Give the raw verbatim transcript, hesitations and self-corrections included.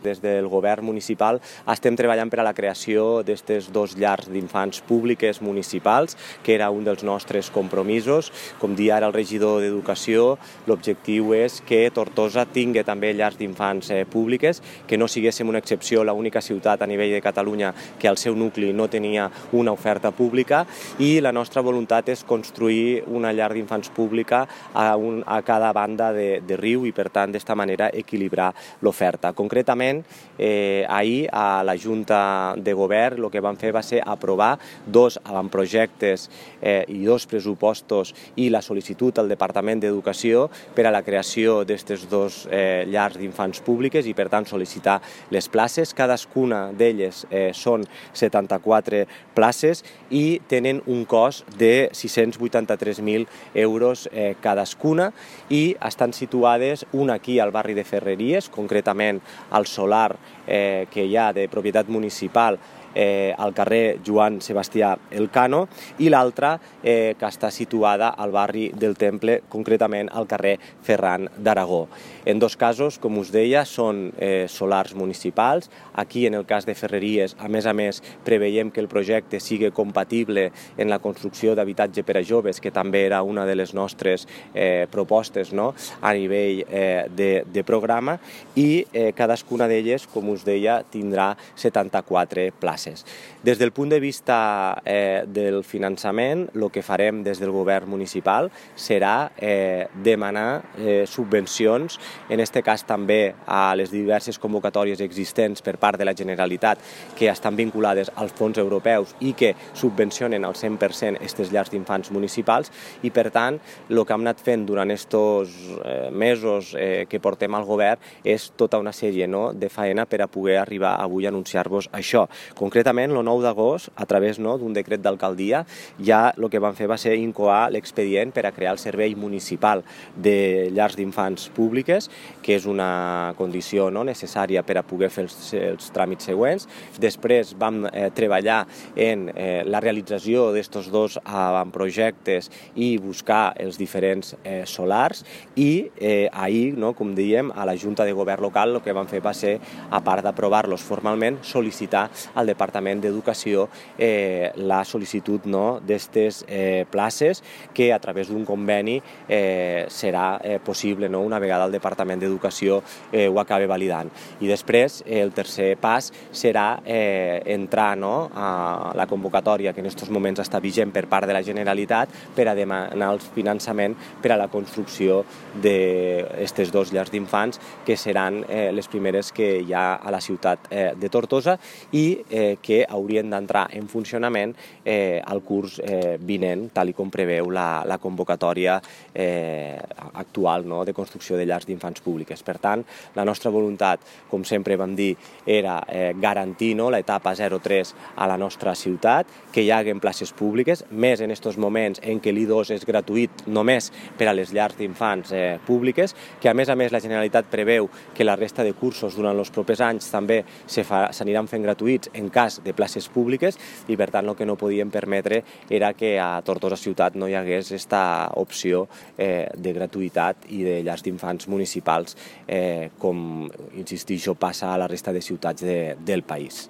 Des del govern municipal estem treballant per a la creació d'aquestes dos llars d'infants públiques municipals, que era un dels nostres compromisos. Com dia ara el regidor d'Educació, l'objectiu és que Tortosa tingui també llars d'infants eh, públiques, que no siguéssim una excepció, l'única ciutat a nivell de Catalunya que al seu nucli no tenia una oferta pública, i la nostra voluntat és construir una llar d'infants pública a, un, a cada banda de, de riu i, per tant, d'esta manera equilibrar l'oferta. Concretament, Eh, ahir a la Junta de Govern el que vam fer va ser aprovar dos avantprojectes eh, i dos pressupostos i la sol·licitud al Departament d'Educació per a la creació d'aquestes dos eh, llars d'infants públiques i, per tant, sol·licitar les places. Cadascuna d'elles eh, són setanta-quatre places i tenen un cost de sis-cents vuitanta-tres mil euros eh, cadascuna, i estan situades una aquí al barri de Ferreries, concretament al solar eh, que hi ha de propietat municipal eh, al carrer Joan Sebastià Elcano, i l'altra eh, que està situada al barri del Temple, concretament al carrer Ferran d'Aragó. En dos casos, com us deia, són eh, solars municipals. Aquí, en el cas de Ferreries, a més a més, preveiem que el projecte sigui compatible en la construcció d'habitatge per a joves, que també era una de les nostres eh, propostes, no?, a nivell eh, de, de programa, i eh, cadascuna d'elles, com us deia, tindrà setanta-quatre places. Des del punt de vista eh, del finançament, el que farem des del govern municipal serà eh, demanar eh, subvencions, en aquest cas també a les diverses convocatòries existents per part de la Generalitat, que estan vinculades als fons europeus i que subvencionen al cent per cent aquestes llars d'infants municipals, i, per tant, el que hem anat fent durant aquests eh, mesos eh, que portem al govern és tota una sèrie, no?, de faena per a poder arribar avui a anunciar-vos això. Concretament, el nou d'agost, a través, no?, d'un decret d'alcaldia, ja el que vam fer va ser incoar l'expedient per a crear el servei municipal de llars d'infants públiques, que és una condició, no?, necessària per a poder fer els, els tràmits següents. Després vam eh, treballar en eh, la realització d'aquests dos avantprojectes i buscar els diferents eh, solars, i eh, ahir, no?, com dèiem, a la Junta de Govern local el que vam fer va ser, a part d'aprovar-los formalment, sol·licitar al Departament d'Educació eh, la sol·licitud, no?, d'aquestes eh, places, que a través d'un conveni eh, serà eh, possible, no?, una vegada el Departament d'Educació eh, ho acabi validant. I després eh, el tercer pas serà eh, entrar, no?, a la convocatòria que en aquests moments està vigent per part de la Generalitat per a demanar el finançament per a la construcció d'aquestes dos llars d'infants, que seran eh, les primeres que hi ha a la ciutat eh, de Tortosa, i eh, que haurien d'entrar en funcionament eh, al curs eh, vinent, tal i com preveu la, la convocatòria eh, actual, no?, de construcció de llars d'infants públiques. Per tant, la nostra voluntat, com sempre vam dir, era eh, garantir, no?, l'etapa zero tres a la nostra ciutat, que hi haguen places públiques, més en aquests moments en què l'I dos és gratuït només per a les llars d'infants eh, públiques, que a més a més la Generalitat preveu que la resta de cursos durant els propers anys també s'aniran fent gratuïts en cas de places públiques, i, per tant, el que no podíem permetre era que a Tortosa ciutat no hi hagués aquesta opció eh, de gratuïtat i de llars d'infants municipals, eh, com, insistixo, passa a la resta de ciutats de, del país.